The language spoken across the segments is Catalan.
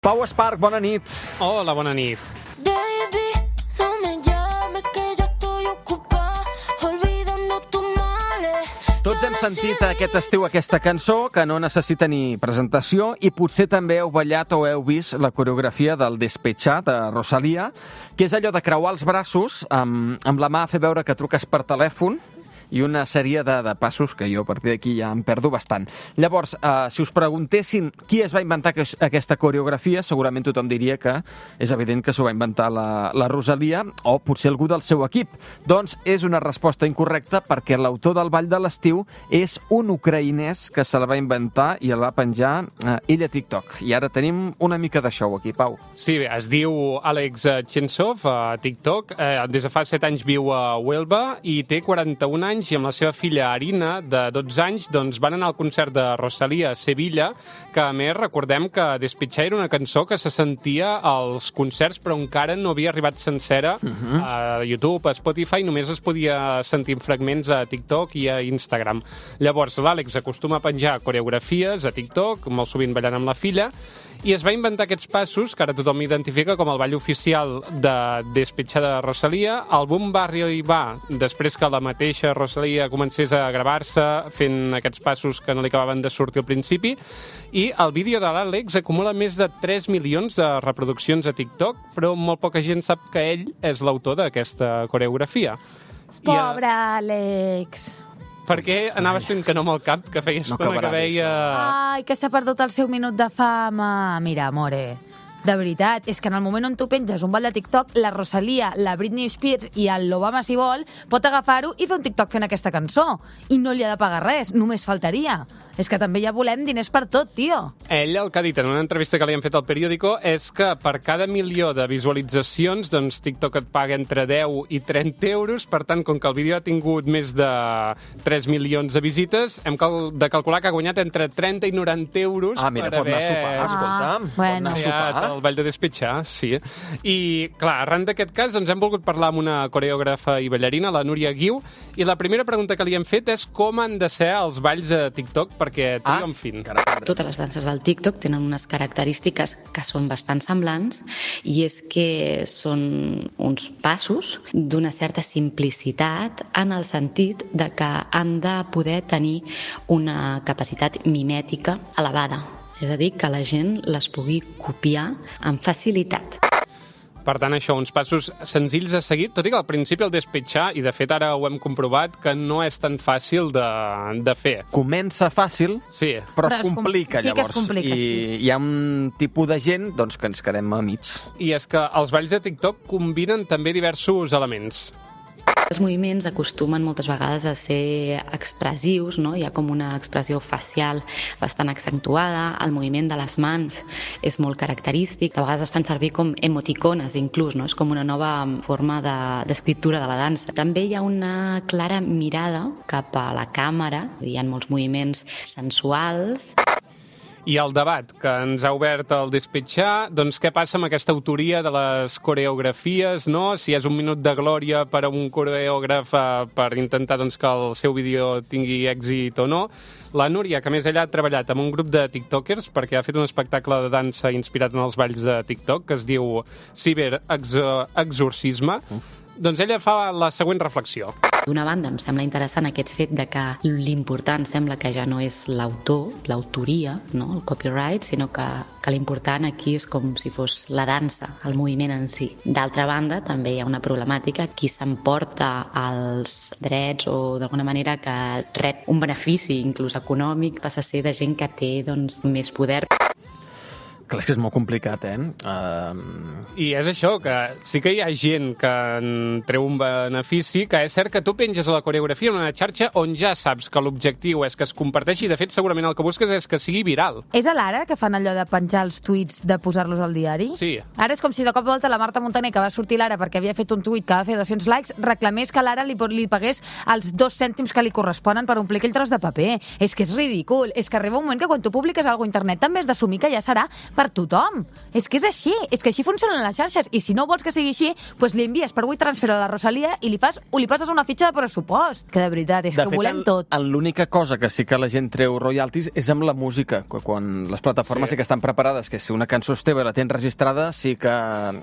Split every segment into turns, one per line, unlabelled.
Pau Esparch, bona nit.
Hola, bona nit.
Baby, no me llames que yo estoy ocupada olvidando tus males.
Tots hem sentit aquest estiu aquesta cançó que no necessita ni presentació i potser també heu ballat o heu vist la coreografia del Despechar de Rosalía, que és allò de creuar els braços amb la mà a fer veure que truques per telèfon i una sèrie de passos que jo a partir d'aquí ja em perdo bastant. Llavors, si us preguntessin qui es va inventar aquesta coreografia, segurament tothom diria que és evident que s'ho va inventar la Rosalía o potser algú del seu equip. Doncs és una resposta incorrecta perquè l'autor del Ball de l'Estiu és un ucraïnès que se la va inventar i el va penjar ell a TikTok. I ara tenim una mica de show aquí, Pau.
Sí, bé, es diu Alex Chensov a TikTok. Des de fa 7 anys viu a Huelva i té 41 anys i amb la seva filla Arina, de 12 anys, doncs van anar al concert de Rosalía a Sevilla, que a més recordem que Despechar era una cançó que se sentia als concerts però encara no havia arribat sencera a YouTube, a Spotify, només es podia sentir fragments a TikTok i a Instagram. Llavors l'Àlex acostuma a penjar coreografies a TikTok, molt sovint ballant amb la filla, i es va inventar aquests passos que ara tothom identifica com el ball oficial de Despechar de Rosalía. El boom va arribar després que la mateixa Rosalía comencés a gravar-se fent aquests passos que no li acabaven de sortir al principi, i el vídeo de l'Àlex acumula més de 3 milions de reproduccions a TikTok, però molt poca gent sap que ell és l'autor d'aquesta coreografia.
Pobre Àlex.
Per què anaves fent que no amb el cap, que feia estona que veia...
Ai, que s'ha perdut el seu minut de fama. Mira, amore, de veritat, és que en el moment on tu penges un ball de TikTok, la Rosalía, la Britney Spears i el l'Obama, si vol, pot agafar-ho i fer un TikTok fent aquesta cançó. I no li ha de pagar res, només faltaria. És que també ja volem diners per tot, tio.
Ell el que ha dit en una entrevista que li han fet al periòdico és que per cada milió de visualitzacions, doncs TikTok et paga entre 10 i 30 euros, per tant, com que el vídeo ha tingut més de 3 milions de visites, hem de calcular que ha guanyat entre 30 i 90 euros
mira,
per
pot anar a sopar, escolta.
bueno.
Pot anar a sopar.
El ball de Despechar, sí. I, clar, arran d'aquest cas, ens hem volgut parlar amb una coreògrafa i ballarina, la Núria Guiu, i la primera pregunta que li hem fet és com han de ser els balls a TikTok perquè triomfin.
Totes les danses del TikTok tenen unes característiques que són bastant semblants, i és que són uns passos d'una certa simplicitat en el sentit de que han de poder tenir una capacitat mimètica elevada. És a dir, que la gent les pugui copiar amb facilitat.
Per tant, això, uns passos senzills a seguir, tot i que al principi el Despechar, i de fet ara ho hem comprovat, que no és tan fàcil de fer.
Comença fàcil,
sí,
però es complica,
sí
llavors.
que es complica,
I
sí.
hi ha un tipus de gent doncs, que ens quedem a mig.
I és que els balls de TikTok combinen també diversos elements.
Els moviments acostumen moltes vegades a ser expressius, no? Hi ha com una expressió facial bastant accentuada, el moviment de les mans és molt característic, de vegades es fan servir com emoticones inclús, no? És com una nova forma d'escriptura de la dansa. També hi ha una clara mirada cap a la càmera, hi ha molts moviments sensuals.
I el debat que ens ha obert el Despechar, doncs què passa amb aquesta autoria de les coreografies, no? Si és un minut de glòria per a un coreògraf per intentar doncs, que el seu vídeo tingui èxit o no. La Núria, que a més ella ha treballat amb un grup de tiktokers perquè ha fet un espectacle de dansa inspirat en els balls de TikTok que es diu Ciberexorcisme. Doncs ella fa la següent reflexió.
D'una banda, em sembla interessant aquest fet de que l'important sembla que ja no és l'autor, l'autoria, no? El copyright, sinó que l'important aquí és com si fos la dansa, el moviment en si. D'altra banda, també hi ha una problemàtica. Qui s'emporta els drets o d'alguna manera que rep un benefici, inclús econòmic, passa a ser de gent que té doncs, més poder.
Clar, és que és molt complicat,
I és això, que sí que hi ha gent que en treu un benefici, que és cert que tu penges la coreografia en una xarxa on ja saps que l'objectiu és que es comparteixi, i de fet segurament el que busques és que sigui viral.
És a l'Ara que fan allò de penjar els tuits, de posar-los al diari?
Sí.
Ara és com si de cop i volta la Marta Montaner, que va sortir l'Ara perquè havia fet un tuit que va fer 200 likes, reclamés que l'Ara li pagués els 2 cèntims que li corresponen per omplir aquell tros de paper. És que és ridícul. És que arriba un moment que quan tu publiques alguna a internet també has d'assumir que ja serà per tothom. És que és així, és que així funcionen les xarxes, i si no vols que sigui així, doncs li envies per WeTransfer a la Rosalia i li passes una fitxa de pressupost, que de veritat, és que ho volem tot.
L'única cosa que sí que la gent treu royalties és amb la música, quan les plataformes sí que estan preparades, que si una cançó és teva i la tens registrada, sí que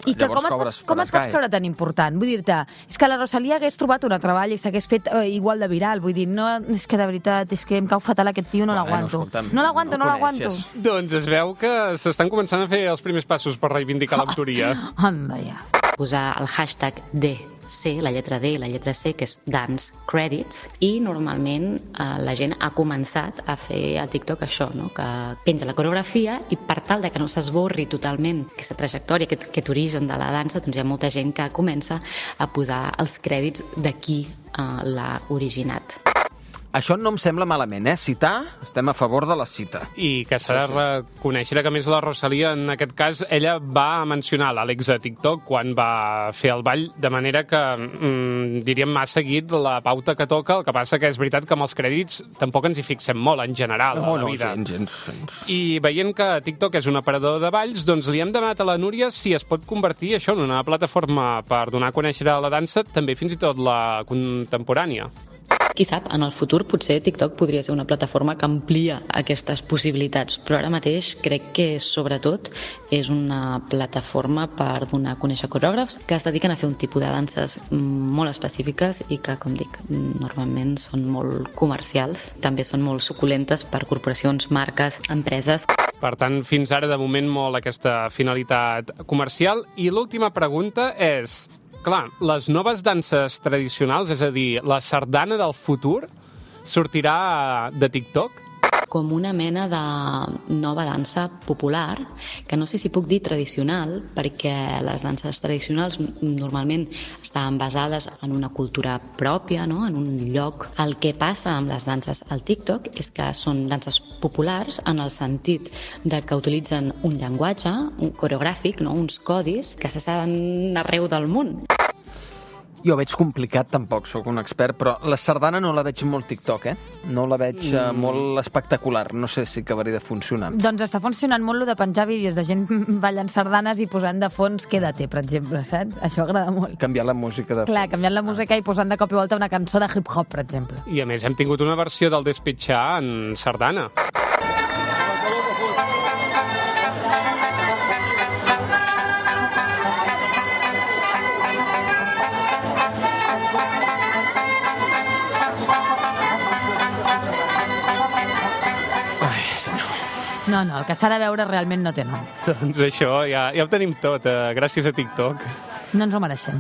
I que
llavors cobres
com et pots creure tan important? Vull dir-te, és que la Rosalia hagués trobat un treball i s'hagués fet igual de viral, vull dir, no, és que de veritat, és que em cau fatal aquest tio, no l'aguanto. No l'aguanto.
Doncs es veu que s'estan començant a fer els primers passos per reivindicar l'autoria.
Anda ja.
Posar el hashtag DC, la lletra D i la lletra C, que és Dance Credits, i normalment la gent ha començat a fer a TikTok això, no? Que penja la coreografia i per tal de que no s'esborri totalment aquesta trajectòria, aquest origen de la dansa, doncs hi ha molta gent que comença a posar els crèdits de qui l'ha originat.
Això no em sembla malament, citar, estem a favor de la cita.
I que s'ha de reconèixer que, a més, la Rosalia, en aquest cas, ella va mencionar l'Àlex a TikTok quan va fer el ball, de manera que, diríem, m'ha seguit la pauta que toca, el que passa que és veritat que amb els crèdits tampoc ens hi fixem molt, en general, a la vida.
Gens.
I veient que TikTok és un aparador de balls, doncs li hem demanat a la Núria si es pot convertir això en una plataforma per donar a conèixer la dansa, també fins i tot la contemporània.
Qui sap, en el futur potser TikTok podria ser una plataforma que amplia aquestes possibilitats, però ara mateix crec que sobretot és una plataforma per donar a conèixer coreògrafs que es dediquen a fer un tipus de danses molt específiques i que, com dic, normalment són molt comercials, també són molt suculentes per corporacions, marques, empreses.
Per tant, fins ara, de moment, molt aquesta finalitat comercial. I l'última pregunta és... Clar, les noves danses tradicionals, és a dir, la sardana del futur, sortirà de TikTok?
Com una mena de nova dansa popular, que no sé si puc dir tradicional, perquè les danses tradicionals normalment estan basades en una cultura pròpia, no? En un lloc. El que passa amb les danses al TikTok és que són danses populars en el sentit de que utilitzen un llenguatge, un coreogràfic, no? Uns codis que se saben arreu del món.
Jo veig complicat, tampoc sóc un expert, però la sardana no la veig molt TikTok, No la veig molt espectacular. No sé si acabaria de funcionar.
Doncs està funcionant molt de penjar vídeos de gent ballant sardanes i posant de fons Quédate, per exemple, saps? Això agrada molt.
Canviar la música de fons.
Clar, canviant la música i posant de cop i volta una cançó de hip-hop, per exemple.
I a més hem tingut una versió del Despetxar en sardana.
No, el que s'ha de veure realment no té nom.
Doncs això, ja ho tenim tot, gràcies a TikTok.
No ens ho mereixem.